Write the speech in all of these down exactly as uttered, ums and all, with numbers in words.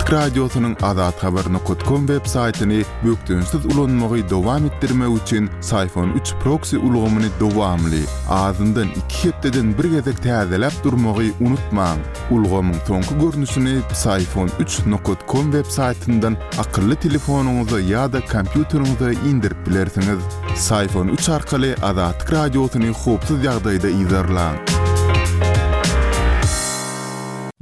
Azatlyk Radiosynyň azathabar nokat kom web saýtyny bökdençsiz ulanmagy dowam etdirmek üçin Syfon üç proksi ulgamyny dowamly, azyndan iki hepdeden bir gezek täzeläp durmagy unutmaň. Ulgamyň soňky görnüşini Psiphon üç nokat kom web saýtyndan akylly telefonyňyza ýa-da kompýuteriňize indirip bilersiňiz. Psiphon üç arkaly Azatlyk Radiosyny howpsuz ýagdaýda yzarlaň.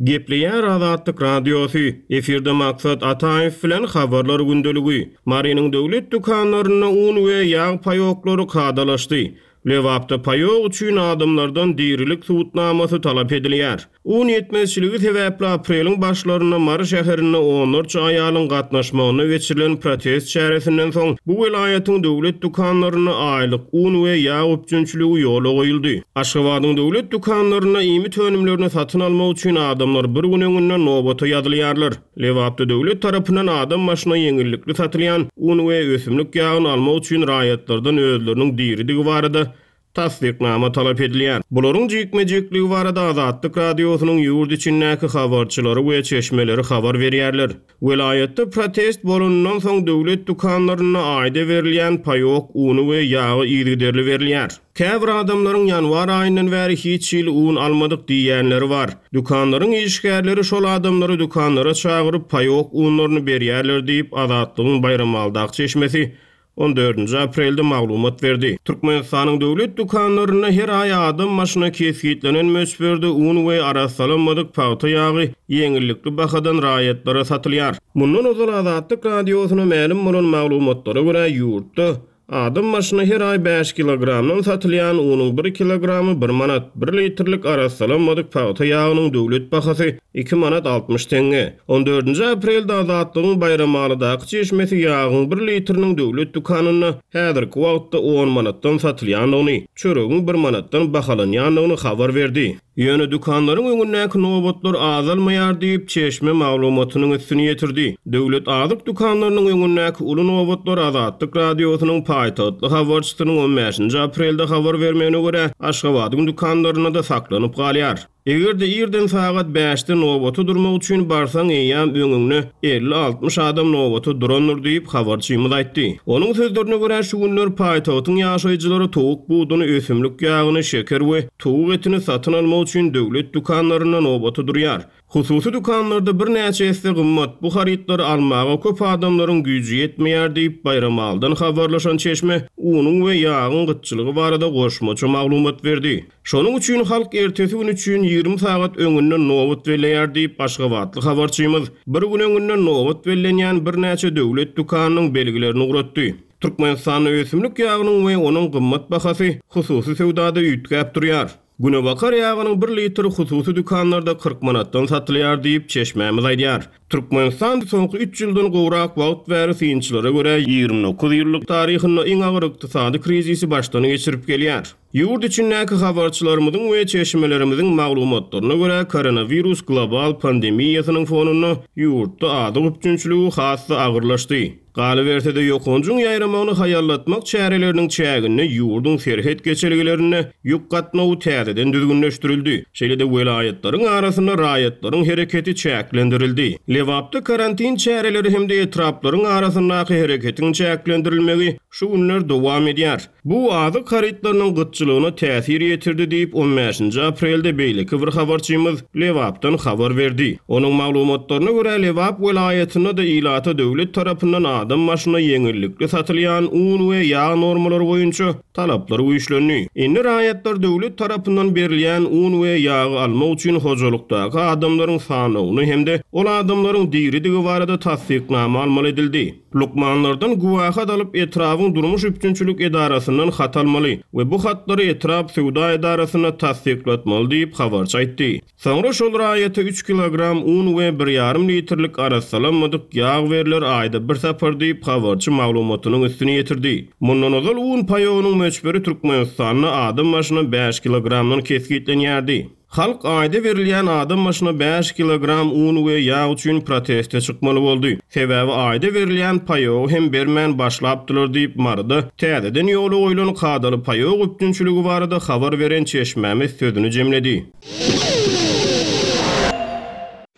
Gepleýär Azatlyk Radiosy, efirde Maksat Ataýew bilen Habarlar gündeligi. Marynyň döwlet dükanlarynda un we ýag paýoklary kadalaşdy. Lebapda paýok üçin adamlardan dirilik subutnamasy talap edilýär. Un ýetmezçiligi sebäpli apreliň başlarynda Mary şäherinde onlarça aýalyň gatnaşmagynda geçirilen protest çäresinden soň, bu welaýatyň döwlet dükanlarynda aýlyk un we ýag üpjünçiligi ýola goýuldy. Aşgabadyň döwlet dükanlarynda iýmit önümlerini satyn almak üçin adamlar bir gün öňünden nobata ýazylýarlar. Lebapda döwlet tarapyndan adam başyna ýeňillikli satylýan un we ösümlik ýagyny almak üçin raýatlardan özleriniň diridigi barada tassyknama talap edilýär. Bularyň jikme-jikligi barada Azatlyk Radiosynyň ýurt içindäki habarçylary we çeşmeleri habar berýärler. Welaýatda protest bolanyndan soň döwlet dükanlarynda aýda berilýän paýok uny we ýagy yzygiderli berilýär. Käbir adamlaryň ýanwar aýyndan bäri hiç hili un almadyk diýýänleri bar. Dükanlaryň işgärleri şol adamlary dükanlara çagyryp paýok unlaryny berýärler diýip, Azatlygyň Baýramalydaky çeşmesi on dördünji aprelde maglumat berdi. Türkmenistanyň döwlet dükanlarynda her aý adam başyna kesgitlenen möçberde un we arassalanmadyk pagta ýagy ýeňillikli bahadan raýatlara satylýar. Mundan ozal Azatlyk Radiosyna mälim bolan maglumatlara görä, ýurtda adam başyna her aý bäş kilogramdan satylýan unuň bir kilogramy bir manat, bir litrlik arassalanmadyk pagta ýagynyň döwlet bahasy iki manat altmyş teňňe. On dördünji aprelde Azatlygyň Baýramalydaky çeşmesi ýagyň bir litriniň döwlet dükanynda häzirki wagtda on manatdan satylýandygyny, çöregiň bir manatdan bahalanýandygyny habar berdi. Ýöne dükanlaryň öňündäki nobatlar azalmaýar diýip, çeşme maglumatynyň üstüni ýetirdi. Döwlet azyk dükanlarynyň öňündäki uly nobatlar Azatlyk Radiosynyň paýtagtly habarçysynyň on bäşinji aprelde habar bermegine görä, Aşgabadyň dükanlarynda-da saklanyp galýar. Eger-de irden sagat bäşde nobata durmak üçin barsaň, eýýäm öňüňde elli-altmyş adam nobata durandyr diýip, habarçymyz aýtdy. Onuň sözlerine görä, şu günler paýtagtyň ýaşaýjylary towuk buduny, ösümlik ýagyny, şeker we towuk etini satyn almak üçin döwlet dükanlarynda nobata durýar. Hususy dükanlarda birnäçe esse gymmat bu harytlary almaga köp adamlaryň güýji ýetmeýär diýip, Baýramalydan habarlaşan çeşme unuň we ýagyň gytçylygy barada goşmaça maglumat berdi. Şonuň üçin halk ertesi gün üçin ýigrimi sagat öňünden nobat belleýär diýip, aşgabatly habarçymyz bir gün öňünden nobat bellenýän birnäçe döwlet dükanynyň belgilerini ugratdy. Türkmenistanda ösümlik ýagynyň we onuň gymmat bahasy hususy söwdada üýtgäp durýar. Günebakar ýagynyň bir litri hususy dükanlarda kyrk manatdan satylýar diýip, çeşmämiz aýdýar. Türkmenistan soňky üç ýyldan gowrak wagt bäri synçylara görä ýigrimi dokuz ýyllyk taryhynda iň agyr ykdysady krizisi başdan geçirip gelýär. Ýurt içindäki habarçylarymyzyň we çeşmelerimiziň maglumatlaryna görä, koronawirus global pandemiýasynyň fonunda ýurtda azyk üpjünçiligi has-da agyrlaşdy. Galyberse-de, ýokanjyň ýaýramagyny haýallatmak çäreleriniň çäginde ýurduň serhet geçelgelerinde ýük gatnawy täzeden düzgünleşdirildi. Şeýle-de welaýatlaryň arasynda raýatlaryň hereketi çäklendirildi. Lebapda karantin çäreleri hem-de etraplaryň arasyndaky hereketiň çäklendirilmegi şu günler dowam edýär. Bu azyk harytlarynyň gytçylygyna täsir ýetirdi diýip, on bäşinji aprelde beýleki bir habarçymyz Lebapdan habar berdi. Onuň maglumatlaryna görä, Lebap welaýatynda-da ilata döwlet tarapyndan adam başyna ýeňillikli satylýan un we ýag normalary boýunça talaplar güýçlendi. Indi raýatlar döwlet tarapyndan berilýän un we ýagy almak üçin hojalykdaky adamlaryň sanawyny hem-de ol adamlaryň diridigi barada tassyknama almaly edildi. Lukmanlardan güwahat alyp, etrabyň durmuş üpjünçilik edarasyndan hat almaly we bu hatlary etrap söwda edarasynda tassyklatmaly diýip, habarçy aýtdy. Soňra şol raýata üç kilogram un we bir ýarym litrlik arassalanmadyk ýag berler aýda bir sapar diýip, habarçy maglumatynyň üstüni ýetirdi. Mundan ozal un paýogynyň möçberi Türkmenistanda adam başyna bäş kilogramdan kesgitlenýärdi. Halk aýda berilýän adam başyna bäş kilogram un we ýag üçin proteste çykmaly boldy. Sebäbi aýda berilýän paýogy hem bermän başlapdylar diýip, Maryda täzeden ýola goýlan kadaly paýok üpjünçiligi barada habar beren çeşmämiz sözüni jemledi.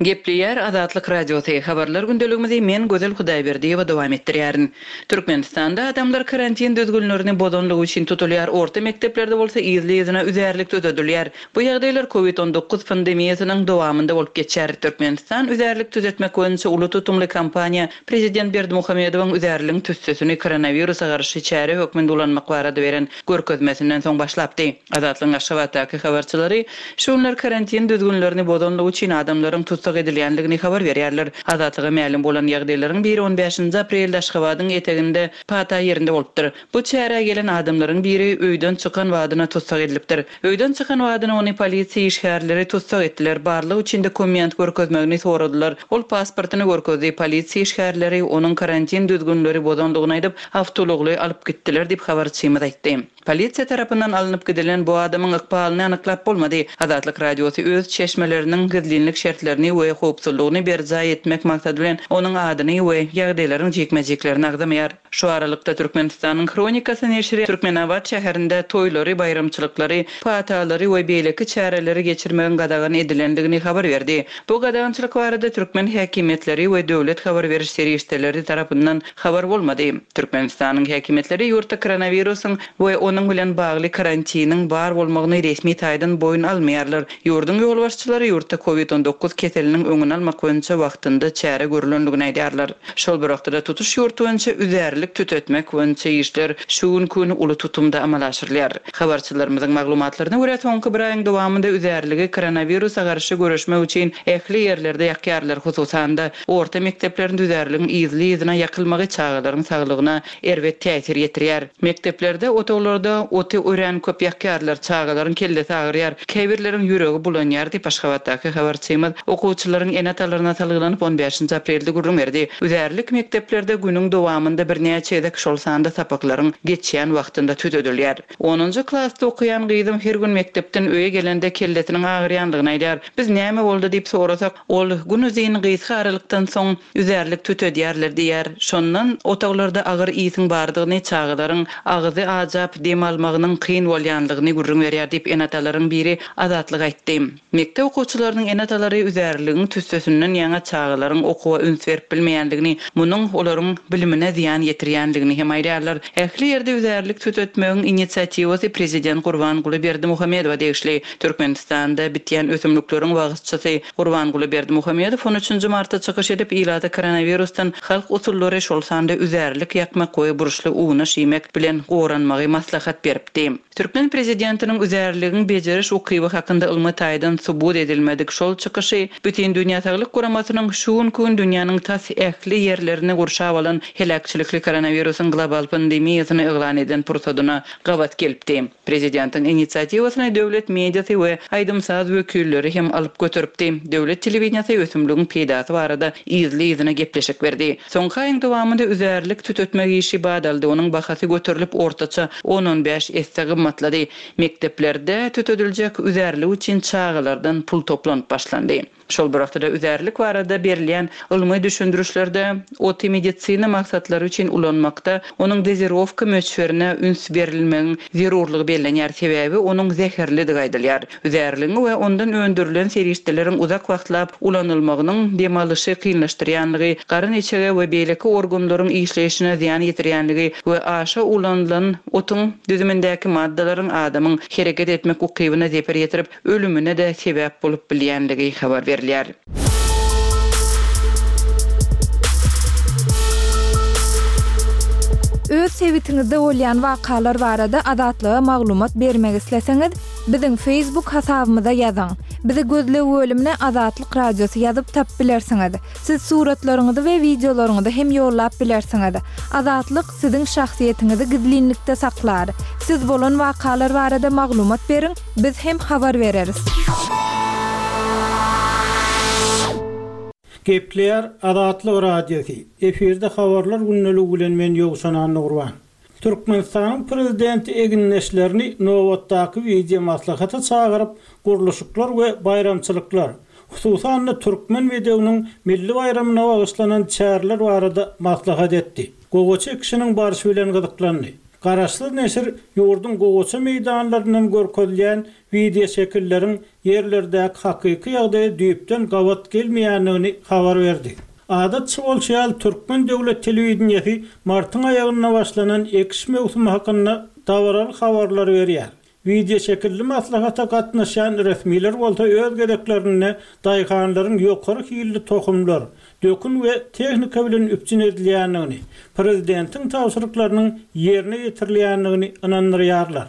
Gepleýär Azatlyk Radiosy, Habarlar gündeligimizi men Gözel Hudaýberdiýewa dowam etdirýärin. Türkmenistanda adamlar karantin düzgünlerini bozanlygy üçin tutulýar, orta mekdeplerde bolsa yzly-yzyna üzärlik tüzedilýär. Bu ýagdaýlar Covid on dokuz pandemiýasynyň dowamynda bolup geçýär. Türkmenistan üzärlik tüzetmek boýunça uly tutumly kampaniýa Prezident Berdimuhamedowyň üzärligiň tüssesini koronawirusa garşy çäre hökmünde ulanmak barada beren görkezmesinden soň başlapdy. Azatlygyň Aşgabatdaky habarçylary şu günler karantin düzgünlerini bozanlygy üçin adamlaryň tussag edilýänligini habar berýärler. Azatlyga mälim bolan ýagdaýlaryň biri on bäşinji aprelde Aşgabadyň eteginde Pata ýerinde bolupdyr. Bu çärä gelen adamlaryň biri öýden çykan wadyna tussag edilipdir. Öýden çykan wadyna ony polisiýa işgärleri tussag etdiler. Barlyk üçin dokument görkezmegini soradylar. Ol pasportyny görkezdi. Polisiýa işgärleri onuň karantin düzgünleri bozandygyny aýdyp, awtoulagly alyp gitdiler diýip habarçymyz aýtdy. Polisiýa tarapyndan alnyp gidilen bu adamyň ykbalyny anyklap bolmady. Azatlyk Radiosy öz çeşmeleriniň gizlinlik şertlerini we howpsuzlygyny berjaý etmek maksady bilen onuň adyny we ýagdaýlaryň jikme-jiklerini agzamaýar. Şu aralykda Türkmenistanyň Hronikasy neşiri Türkmenabat şäherinde toýlary, baýramçylyklary, patalary we beýleki çäreleri geçirmegiň gadagan edilendigini habar berdi. Bu gadagançylyk barada türkmen häkimiýetleri we döwlet habar beriş serişdeleri tarapyndan habar bolmady. Türkmenistanyň häkimiýetleri ýurtda koronawirusyň we onuň bilen bagly karantiniň bar bolmagyny resmi taýdan boýun almaýarlar. Ýurduň ýolbaşçylary ýurtda Covid on dokuz keseliniň öňüni almak boýunça wagtynda çäre görülendigini aýdýarlar. Şol bir wagtda tutuş ýurt boýunça üzärlik tütetmek boýunça işler şu günki gün uly tutumda amala aşyrylýar. Habarçylarymyzyň maglumatlaryna görä soňky bir aýyň dowamynda üzärligi koronawirusa garşy göreşmek üçin ähli ýerlerde ýakýarlar, hususan-da orta mekdeplerin üzärligiň yzly-yzyna ýakylmagy çagalaryň saglygyna erbet täsir ýetirýär. Mekdeplerde otaglarda oty örän köp ýakýarlar, çagalaryň kellesi agyrýar, käbirleriň ýüregi bulanýar diýip Aşgabatdaky habarçymyz okuwçylaryň ene-atalaryna salgylanyp on bäşinji aprelde gürrüň berdi. Üzärlik mekdeplerde günüň dowamynda birnäçe gezek şol sanda sapaklaryň geçýän wagtynda tüzedilýär. Onunjy klasda okuýan gyzym her gün mekdepden öýe gelende kellesiniň agyrýandygyny aýdar. Biz näme boldy diýip sorasak, ol gün uzyn gysga aralykdan soň üzärlik tütedýärler diýär. Şondan otaglarda agyr ýygyň bardygyny, çagalaryň agzy ajap dem almagynyň kyn bolýanlygyny gürrüň berýär diýip ene-atalaryň biri Azatlyk aýtdy. Mekdep okuwçylarynyň ene-atalary üzärligiň tüssesinden ýaňa çagalaryň okuwa üns berip bilmeýänligini, munuň olaryň bilimine zyýan ýetirýänligini hem aýdýarlar. Ähli ýerde üzärlik tütetmegiň inisiatiwasy Prezident Gurbanguly Berdimuhamedowa degişli. Türkmenistanda bitýän ösümlikleriň wagtçysy Gurbanguly Berdimuhamedow on üçünji martda çykyş edip, ilata koronavirusdan halk usullary şol sanda üzärlik ýakmak we burçly unaş iýmek bilen goranmagy maslahat beripdi. Türkmen prezidentiniň üzärligiň bejeriş ukyby hakynda ylmy taýdan subut edilmedik şol çykyşy Bütün Dünýä Saglyk Guramasynyň şu günki gün dünýäniň tas ähli ýerlerini gurşap alan heläkçilikli koronawirusyň global pandemiýasyny yglan eden pursadyna gabat gelipdi. Prezidentiň inisiatiwasyny döwlet mediasy we aýdym-saz wekilleri hem alyp göteripdi. Döwlet telewideniýasy ösümligiň peýdasy barada yzly-yzyna gepleşik berdi. Soňky aýyň dowamynda üzärlik tütetmek işi badaldy. Onuň bahasy göterilip ortaça on on bäş esse gymmatlady. Mekdeplerde tütediljek üzärlik üçin çagalardan pul toplanyp başlandy. Şol bir wagtda üzärlik barada berilýän ylmy düşündirişlerde oty medisina maksatlary üçin ulanmakda onuň dozirowka möçberine üns berilmegiň zerurlygy bellenýär. Sebäbi onuň zäherlidigi aýdylýar. Üzärligiň we ondan öndürilen serişdeleriň uzak wagtlap ulanylmagynyň dem alyşy kynlaşdyrýanlygy, garyn içege we beýleki organlaryň işleýşine zyýan ýetirýänligi we aşa ulanylan otuň düzümindäki maddalaryň adamyň hereket etmek ukybyna zeper ýetirip, ölümine de sebäp bolup bilýänligi habar berilýär. Öz sebitiňizde bolýan wakalar barada Azatlyga maglumat bermek isleseňiz, biziň Facebook hasabymyza ýazyň. Bizi gözleg bölümine Azatlyk Radiosy ýazyp tap bilersiňiz. Siz suratlaryňyzy we wideolaryňyzy hem ýollap bilersiňiz. Azatlyk siziň şahsyýetiňizi gizlinlikde saklar. Siz bolan wakalar barada maglumat beriň, biz hem habar bereris. Gepleýär Azatlyk Radiosy. Efirde habarlar gündeligi bilen men Ýowşan Annagurban. Türkmenistanyň prezidenti egindeşlerini nobatdaky wideo maslahata çagyryp, gurluşyklar we baýramçylyklar, hususan-da Türkmen bedewiniň milli baýramyna bagyşlanan çäreler barada maslahat etdi. Gowaça ekişiniň barşy bilen gyzyklandy. Garaşsyz neşir ýurduň gowaça meýdanlaryndan görkezilýän wideoşekilleriň ýerlerdäki hakyky ýagdaýa düýpden gabat gelmeýändigini habar berdi. Adatça bolşy ýaly türkmen döwlet telewideniýesi martyň aýagynda başlanan ekiş möwsümi hakynda dabaraly habarlar berýär. Wideoşekilli maslahata gatnaşýan resmiler bolsa öz gezeklerinde daýhanlaryň ýokary hilli tohumlar, dökün we tehnika bilen üpjün edilýändigini, prezidentiň tabşyryklarynyň ýerine ýetirilýändigini ynandyrýarlar.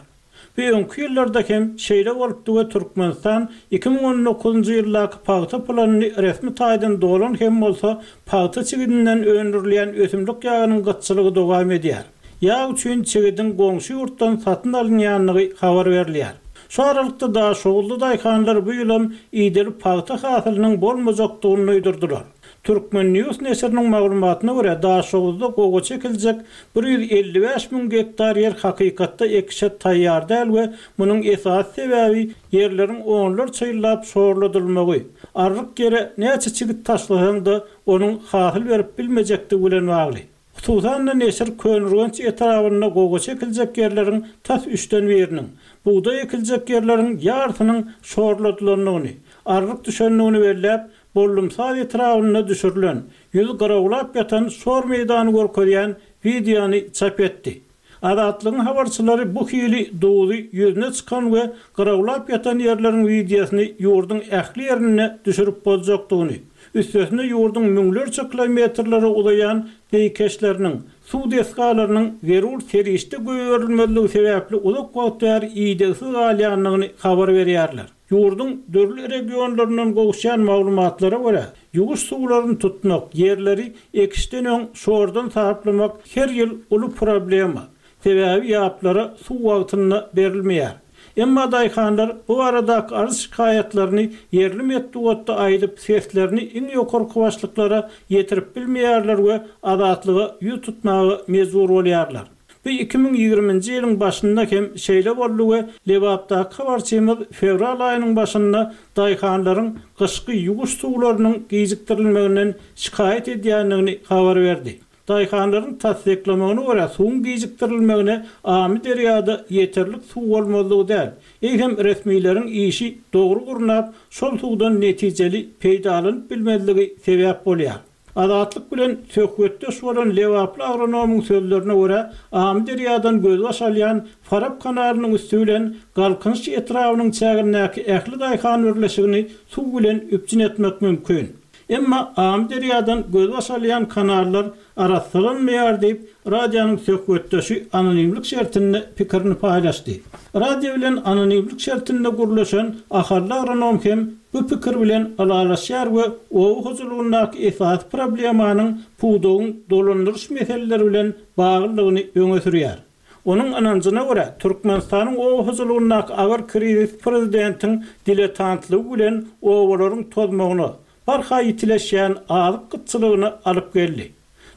Bu öňki ýyllarda hem şeýle bolupdy we Türkmenistan iki müň on dokuzynjy ýyldaky pagta planyny resmi taýdan dolan hem bolsa pagta çigidinden öndürilýän ösümlik ýagynyň gytçylygy dowam edýär. Ýag üçin çigidiň goňşy ýurtdan satyn alynýandygy habar berilýär. Şu aralykda Daşoguzly daýhanlar bu ýylam ideli pagta hasylynyň bolmajakdygyny duýdurdylar. Türkmen News neşiriniň maglumatyna görä Daşoguzda gowaça ekiljek bir ýüz elli bäş müň gektar ýer hakykatda ekişe taýýar däl we munuň esasy sebäbi ýerleriň onlarça ýyllap şorladylmagy, arryk ýere näçe çigit taşlasaň-da onuň hasyl berip bilmejekdigi bilen bagly. Hususan-da neşir Köneürgenç etrabynda gowaça ekiljek ýerleriň tas üçden biriniň, bugdaý ekiljek ýerleriň ýarsynyň şorladylandygyny, arryk düşendigini belläp, Bollumsaz etrabynda düşürilen, ýüz garawlap ýatan şor meýdany görkezýän wideony çap etdi. Azatlygyň habarçylary bu hili duzy ýüzüne çykan we garawlap ýatan ýerleriň wideosyny ýurduň ähli ýerinde düşürip boljakdygyny, üstesine ýurduň müňlerçe kilometrlere uzaýan zeýkeşleriniň, suw desgalarynyň zerur serişde goýberilmezligi sebäpli uzak wagt bäri idegsiz galýandygyny habar berýärler. Ýurduň dürli regionlaryndan gowuşýan maglumatlara görä, ýuwuş suwlaryny tutmak, ýerleri ekişden öň şordan saplamak her ýyl uly problema. Sebäbi ýaplara suw wagtynda berilmeýär. Emma daýhanlar bu aradaky arz şikaýatlaryny ýerli metbugatda aýdyp seslerini iň ýokarky başlyklara ýetirip bilmeýärler we azatlyga ýüz tutmaga mejbur bolýarlar. Bu iki müň ýigriminji ýylyň başynda hem şeýle boldy we Lebapdaky habarçymyz fewral aýynyň başynda daýhanlaryň gyşky ýuwuş suwlarynyň gijikdirilmeginden şikaýat edýändigini habar berdi. Daýhanlaryň tassyklamagyna görä suwuň gijikdirilmegine Amyderýada ýeterlik suw bolmazlygy däl. Eýsem resmileriň işi dogry gurnap, şol suwdan netijeli peýdalanyp bilmezligi sebäp bolýar. Azatlyk bilen söhbetdeş bolan Lebaply agronomyň sözlerine görä Amyderýadan gözbaş alýan Farap kanalynyň üsti bilen Galkynyş etrabynyň çägindäki ähli daýhan birleşigini suw bilen üpjün etmek mümkin. Emma Amyderýadan gözbaş alýan kanallar arassalanmaýar diýip, radionyň söhbetdeşi anonimlik şertinde pikirini paýlaşdy. Radio bilen anonimlik şertinde gurlaşan ahally agronom hem bu pikir bilen ylalaşýar we oba hojalygyndaky esasy problemanyň pudagyň dolandyryş meseleleri bilen baglylygyny öňe sürýär. Onuň ynanjyna görä Türkmenistanyň oba hojalygyndaky agyr krizis prezidentiň diletantlygy bilen obalaryň tozmagyna, barha ýitileşýän azyk gytçylygyna alyp geldi.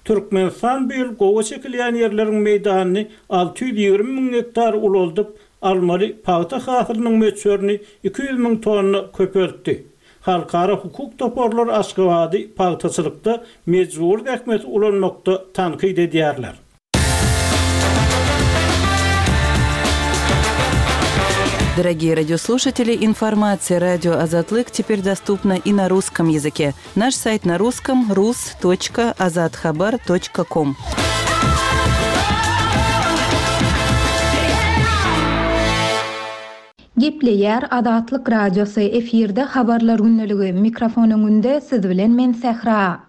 Türkmenistan bu ýyl gowaça ekilýän ýerleriň meýdanyny alty ýüz ýigrimi müň gektar ulaldyp, almaly pagta hasylynyň möçberini iki ýüz müň tonna köpeltdi. Halkara hukuk toparlary Aşgabady pagtaçylykda mejbur zähmeti ulanmakda tankyt edýärler. Дорогие радиослушатели, информация радио Азатлык теперь доступна и на русском языке. Наш сайт на русском рус точка азатхабар точка ком. Gepleýär Azatlyk Radiosy efirde habarlar günlügi mikrofon öňünde siz bilen men Sähra.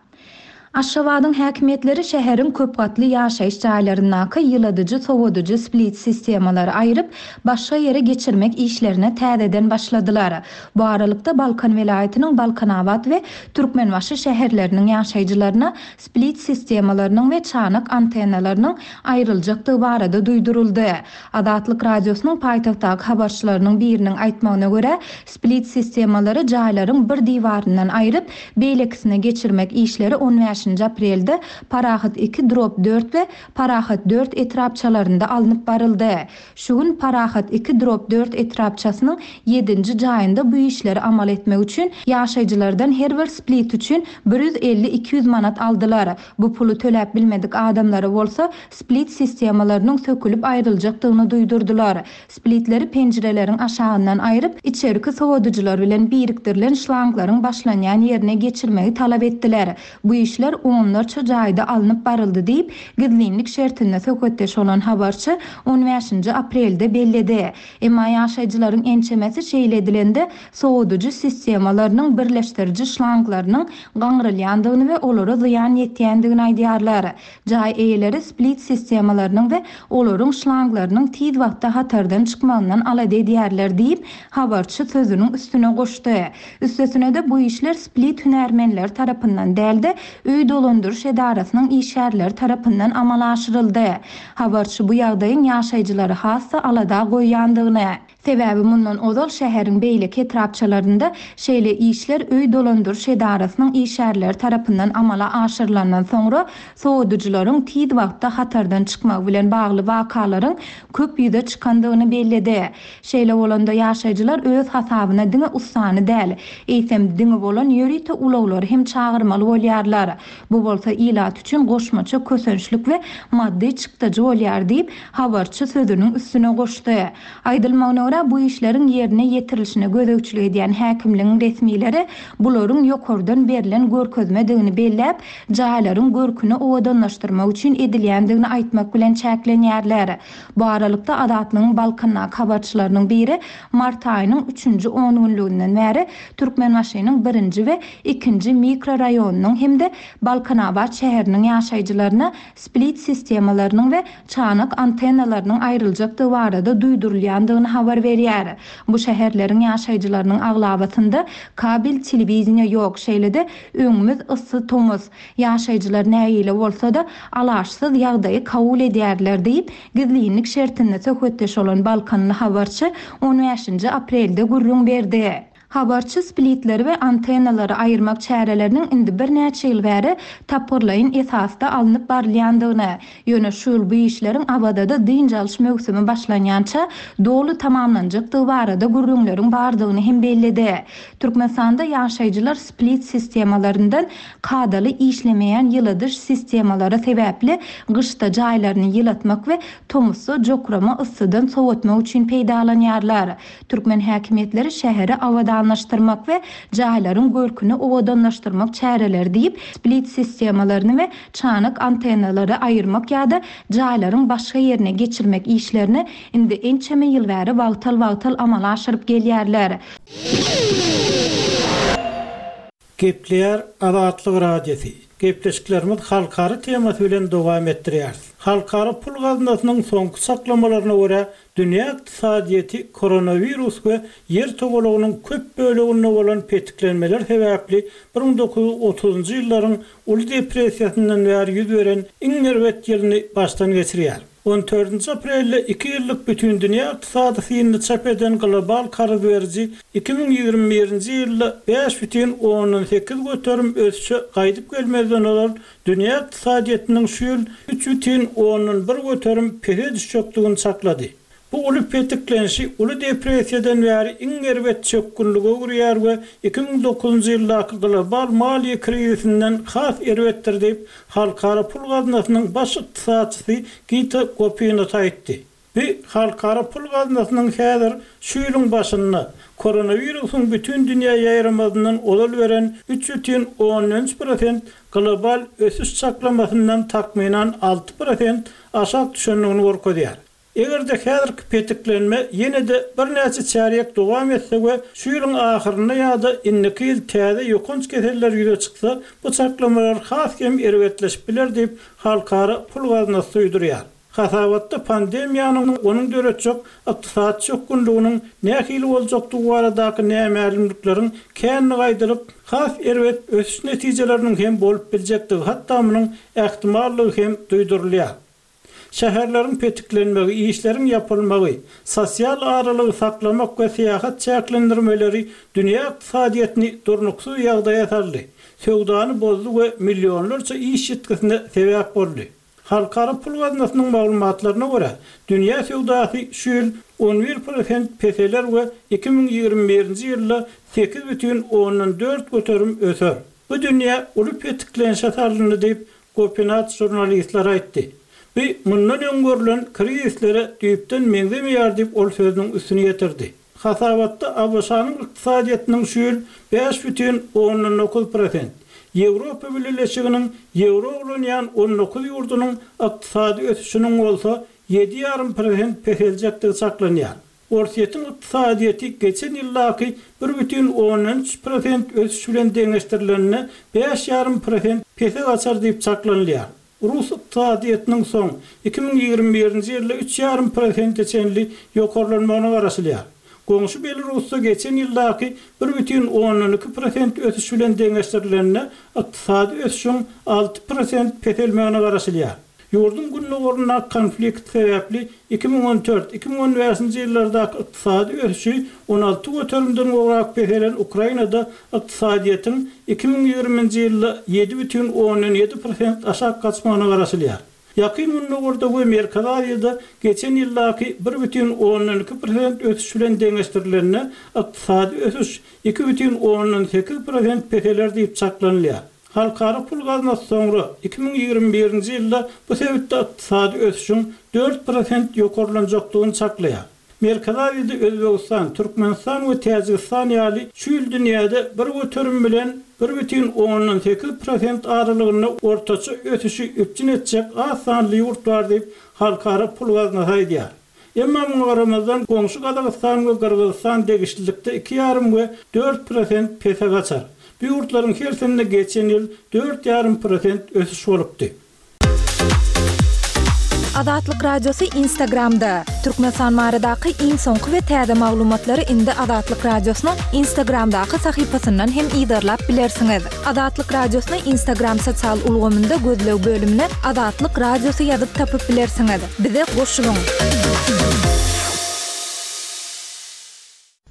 Aşgabadyň häkimiýetleri şäheriň köp gatly ýaşaýyş jaýlaryndaky ýyladyjy, sowadyjy split sistemalary aýryp, başga ýere geçirmek işlerine täzeden başladylar. Bu aralykda Balkan welaýatynyň Balkanabat we Türkmenbaşy şäherleriniň ýaşaýjylaryna split sistemalarynyň we çanak antennalarynyň aýryljakdygy barada duýduryldy. Azatlyk Radiosynyň paýtagtdaky habarçylarynyň biriniň aýtmagyna görä, split sistemalary jaýlaryň bir diwaryndan aýryp, beýlekisine geçirmek işleri on bäş bäşinji aprelde Parahat iki drop dört we Parahat dört etrapçalarynda alnyp baryldy. Şu gün Parahat iki drop dört etrapçasynyň ýedinji jaýynda bu işleri amal etmek üçin ýaşaýjylardan her bir split üçin bir ýüz elli iki ýüz manat aldylar. Bu puly töläp bilmedik adamlara bolsa split sistemalarynyň sökülip aýryljakdygyny duýdurdylar. Splitleri penjireleriň aşagyndan aýryp, içerki sowadyjylar bilen birikdirilen şlanglaryň başlanýan ýerine geçirmegi talap etdiler. Bu işler onlarça jaýda alnyp baryldy diýip, gizlinlik şertinde söhbetdeş bolan habarçy on bäşinji aprelde belledi. Emma ýaşaýjylaryň ençemesi şeýle edilende sowadyjy sistemalarynyň birleşdiriji şlanglarynyň gaňrylýandygyny we olara zyýan ýetýändigini aýdýarlar. Jaý eýeleri split sistemalarynyň we olaryň şlanglarynyň tiz wagtda hatardan çykmagyndan alada edýärler diýip, habarçy sözüniň üstüne goşdy. Üstesine-de bu işler split hünärmenleri tarapyndan däl-de, öý dolandyryş edarasynyň işgärleri tarapyndan amala aşyryldy. Habarçy bu ýagdaýyň ýaşaýjylary hassa alada goýýandygyny, sebäbi mundan ozal şäheriň beýleki etrapçalarynda şeýle işler öý dolandyryş edarasynyň işgärleri tarapyndan amala aşyrylandan soňra sowadyjylaryň tiz wagtda hatardan çykmagy bilen bagly wakalaryň köp ýüze çykandygyny belledi. Şeýle bolanda ýaşaýjylar öz hasabyna diňe ussany däl, eýsem diňe bolan ýörite ulaglary hem çagyrmaly bolýarlar. Bu bolsa ilat üçin goşmaça kösençlik we maddy çykdajy bolýar diýip, habarçy sözüniň üstüne goşdy. Aýdylmagyna görä bu işleriň ýerine ýetirilişine gözegçilik edýän häkimligiň resmileri bularyň ýokardan berlen görkezmedigini belläp, jaýlaryň görküni owadanlaşdyrmak üçin edilýändigini aýtmak bilen çäklenýärler. Bu aralykda Azatlygyň Balkandaky habarçylarynyň biri mart aýynyň üçünji on günlüginden bäri Türkmenbaşynyň birinji we ikinji mikroraýonynyň hem-de Balkanabat şäheriniň ýaşaýjylaryna split sistemalarynyň we çanak antennalarynyň aýryljakdygy barada duýdurylýandygyny habar berýär. Bu şäherleriň ýaşaýjylarynyň aglabasynda kabel telewiziýa ýok, şeýle-de öňümiz yssy tomus. Ýaşaýjylar nägile bolsa-da alaşsyz ýagdaýy kabul edýärler diýip, gizlinlik şertinde söhbetdeş bolan Balkanly habarçy on bäşinji aprelde gürrüň berdi. Habarçy splitleri we antennalary aýyrmak çäreleriniň indi birnäçe ýyl bäri tapgyrlaýyn esasda alnyp barylýandygyny, ýöne şu ýyl bu işleriň Awazada dynç alyş möwsümi başlanýança doly tamamlanjakdygy barada gürrüňleriň bardygyny hem belledi. Türkmenistanda ýaşaýjylar split sistemalaryndan kadaly işlemeýän ýyladyş sistemalary sebäpli gyşda jaýlaryny ýylatmak we tomusda jokrama yssydan sowatmak üçin peýdalanýarlar. Türkmen häkimiýetleri şäheri abadanlaşdyrmak we jaýlaryň görküni owadanlaşdyrmak çäreleri diýip, split sistemalaryny we çanak antennalary aýyrmak ýa-da jaýlaryň başga ýerine geçirmek işlerini indi ençeme ýyl bäri wagtal-wagtal amala aşyryp gelýärler. Gepleýär Azatlyk Radiosy. Gepleşiklerimiz halkara temasy bilen dowam etdirýär. Halkara pul gaznasynyň soňky saklamalaryna görä dünýä ykdysadyýeti koronawirus we ýer togalagynyň köp böleginde bolan petiklenmeler sebäpli bir müň dokuz ýüz otuzunjy ýyllaryň uly depressiýasyndan bäri ýüz beren iň erbet ýylyny başdan geçirýär. On dördünji aprelde iki ýyllyk bütün dünýä ykdysady synyny çap eden global karz beriji iki müň ýigrimi birinji ýylda bäş bütin ondan sekiz göterim ösüşe gaýdyp gelmezden ozal dünýä ykdysadyýetiniň şu ýyl üç bütin ondan bir göterim pese düşjekdigini çaklady. Bu uly petiklenişi uly depressiýadan bäri iň erbet çökgünlige öwürýär we iki müň dokuzunjy ýyldaky global maliýe krizisinden has erbetdir diýip, Halkara pul gaznasynyň baş ykdysatçysy Gita Gopinath aýtdy. Bu Halkara pul gaznasynyň häzir şu ýylyň başynda koronawirusyň bütün dünýä ýaýramazyndan ozal beren üç bütin ondan üç prosent global ösüş çaklamasyndan takmynan alty prosent aşak düşendigini görkezýär. Eger-de häzirki petiklenme ýene-de birnäçe çärýek dowam etse we şu ýylyň ahyrynda ýa-da indiki ýyl täze ýokanç keseller ýüze çyksa, bu çaklamalar has hem erbetleşip biler diýip, Halkara pul gaznasy duýdurýar. Hasabatda pandemiýanyň onuň döretjek ykdysady çökgünliginiň nähili boljakdygy baradaky nämälimlikleriň känini aýdylyp, has erbet ösüş netijeleriniň hem bolup biljekdigi, hatda munuň ähtimallygy hem duýdurylýar. Şäherleriň petiklenmegi, işleriň ýapylmagy, sosial aralygy saklamak we syýahat çäklendirmeleri dünýä ykdysadyýetini durnuksyz ýagdaýa saldy, söwdany bozdy we millionlarça iş ýitgisine sebäp boldy. Halkara pul gaznasynyň maglumatlaryna görä, dünýä söwdasy şu ýyl on bir prosent peseler we iki müň ýigrimi birinji ýylda sekiz bütin ondan dört göterim öser. Bu dünýä uly petiklenişe salyndy diýip, Gopinath žurnalistlere aýtdy. Bu mundan öň görlen krizislere düýpden meňzemeýär diýip, ol sözüniň üstüni ýetirdi. Hasabatda ABŞ-nyň ykdysadyýetiniň şu ýyl bäş bütin ondan dokuz prosent, Ýewropa Bileleşiginiň ýewro ulanýan on dokuz ýurdunyň ykdysady ösüşiniň bolsa ýedi ýarym prosent peseljekdigi çaklanýar. Orsýetiň ykdysadyýeti geçen ýyldaky bir bütin ondan üç prosent ösüş bilen deňeşdirilende bäş ýarym prosent pese gaçar diýip çaklanylýar. Rus ykdysadyýetiniň soň iki müň ýigrimi birinji ýylda üç ýarym prosente çenli ýokarlanmagyna garaşylýar. Goňşy Belarusda geçen ýyldaky bir bütin ondan iki prosent ösüş bilen deňeşdirilende ykdysady ösüşiň alty prosent peselmegine garaşylýar. Ýurduň gündogaryndaky konflikt sebäpli iki müň on dört, iki müň on bäşinji ýyllardaky ykdysady ösüşi on alty göterimden gowrak peselen Ukrainada ykdysadyýetiň iki müň ýigriminji ýylda ýedi bütin ondan ýedi prosent aşak gaçmagyna garaşylýar. Ýakyn Gündogarda we Merkezi Aziýada geçen ýyldaky bir bütin ondan iki prosent ösüş bilen deňeşdirilende ykdysady ösüş iki bütin ondan sekiz prosent peseler diýip çaklanylýar. Halkara pul gaznasy soňra iki müň ýigrimi birinji ýylda bu sebitde ykdysady ösüşiň dört prosent ýokarlanjakdygyny çaklaýar. Merkezi Aziýada Özbegistan, Türkmenistan we Täjigistan ýaly şu ýyl dünýäde bir göterim bilen bir bütin ondan sekiz prosent aralygynda ortaça ösüşi üpjün etjek az sanly ýurt bar diýip, Halkara pul gaznasy aýdýar. Emma muňa garamazdan goňşy Gazagystan we Gyrgyzystan degişlilikde iki ýarym we dört prosent pese gaçar. Bu ýurtlaryň hersinde geçen ýyl dört ýarym prosent ösüş bolupdy. Azatlyk Radiosy Instagramda. Türkmenistan baradaky iň soňky we täze maglumatlary indi Azatlyk Radiosynyň Instagramdaky sahypasyndan hem yzarlap bilersiňiz. Azatlyk Radiosyny Instagram sosial ulgamynda gözleg bölümine Azatlyk Radiosy ýazyp tapyp bilersiňiz. Bize goşulyň.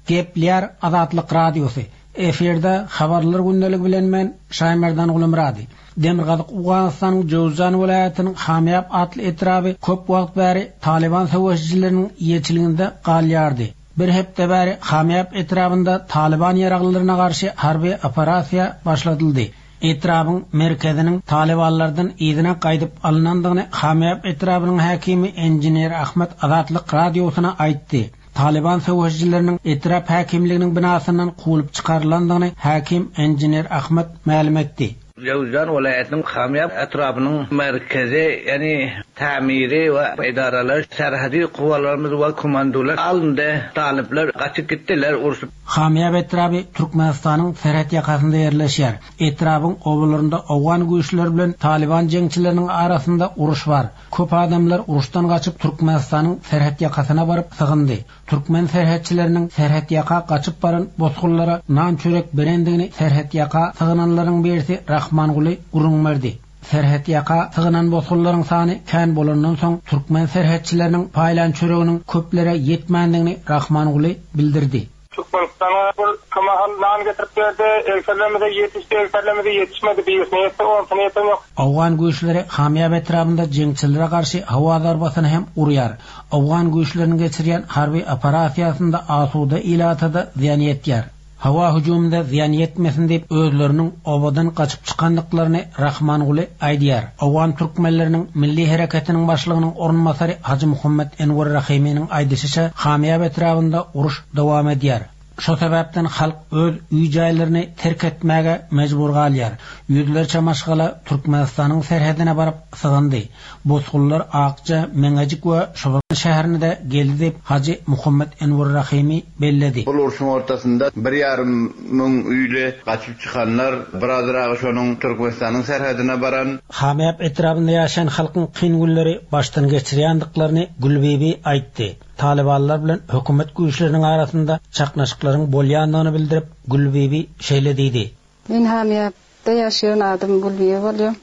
Gepleýär Azatlyk Radiosy. Efirde habarlar gündeligi bilen men Şaýmerdan Gulumyrady. Demirgazyk Owganystanyň Jowzjan welaýatynyň Hamýap atly etraby köp wagt bäri Taliban söweşijileriniň ýeçiliginde galýardy. Bir hepde bäri Hamýap etrabynda Taliban ýaraglylaryna garşy harby operasiýa başladyldy. Etrabyň merkeziniň Talibanlardan yzyna gaýdyp alynandygyny Hamýap etrabynyň häkimi engineer Ahmet Azatlyk radiosyna aýtdy. Taliban söweşijileriniň etrap häkimliginiň binasyndan kowulyp çykarylandygyny häkim engineer Ahmet mälim etdi. Jowzjan welaýatynyň Hamýap etrabynyň merkezi, ýagny tämiri we edaralar, serhedi kuwalarymyz we komandolar alyndy. Talyplar gaçyp gitdiler urşup. Hamýap etraby Türkmenistanyň serhet ýakasynda ýerleşýär. Etrabyň obalarynda Owgan güýçleri bilen Taliban jeňçileriniň arasynda uruş bar. Köp adamlar uruşdan gaçyp Türkmenistanyň serhet ýakasyna baryp sygyndy. Türkmen serhetçileriniň serhet ýaka gaçyp baran bosgunlara nan çörek berendigini serhet ýaka sygynanlaryň birisi Rahmanguly gürrüň berdi. Serhet ýaka sygynan bosgunlaryň sany kän bolandan soň türkmen serhetçileriniň paýlan çöreginiň köplere ýetmändigini Rahmanguly bildirdi. Türkmenistana bir kymahal nan getirip berdi, egserlerimize ýetişdi, egserlerimize ýetişmedi, birisine ýetdi, onsuny ýeten ýok. Owgan güýçleri Hamýap etrabynda jeňçilere garşy howa zarbasyny hem urýar. Owgan güýçleriniň geçirýän harby operasiýasynda asuda ilatada zyýan ýetýär. Howa hüjüminde zyýan ýetmesin diýip özleriniň obadan gaçyp çykandyklaryny Rahmanguly aýdýar. Owgan türkmenleriniň milli hereketiniň başlygynyň orunbasary Hajy Muhammed Enwer Rahiminiň aýdyşyça Hamýap etrabynda uruş dowam edýär. Şo sebäpden halk öz öý jaýlaryny terk etmäge mejbur galýar. Ýüzlerçe maşgala Türkmenistanyň serhedine baryp sygyndy. Bosgunlar Akja, Meňejik we Şoban şäherine de geldi diýip Hajy Muhammed Enwer Rahimi belledi. Bu urşuň ortasynda bir ýarym müň öýle gaçyp çykanlar birazragy şonuň Türkmenistanyň serhedine baran. Hamýap etrabynda ýaşaýan halkyň kyn günleri başdan geçirýändiklerini Gülbibi aýtdy. Talibanlar bilen hökümet güýçleriniň arasynda çaknyşyklaryň bolýandygyny bildirip Gülbibi şeýle diýdi. Men Hamýapda ýaşaýan adam Gülbibi bolýar.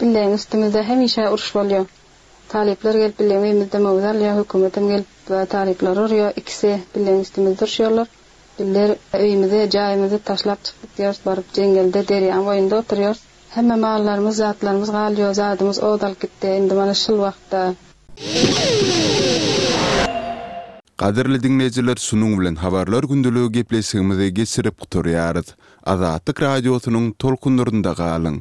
Bileň üstümizde hemişe uruş bolýar. Talyplar gelip bileň öýümizde möwz alýar, hökümetem gelip talyplary urýar, ikisi bileň üstümizde uruşýarlar. Bizler öýümizi, jaýymyzy taşlap çykyp gidýäris, baryp jeňňelde derýaň boýunda oturýarys. Hemme mallarymyz, zatlarymyz galýar, zadymyz ot alyp gitdi, indi mana şul wagtda. Gadyrly diňleýjiler şunuň bilen Habarlar gündeligi gepleşigimizi geçirip gutarýarys. Azatlyk Radiosynyň tolkunlarynda galyň!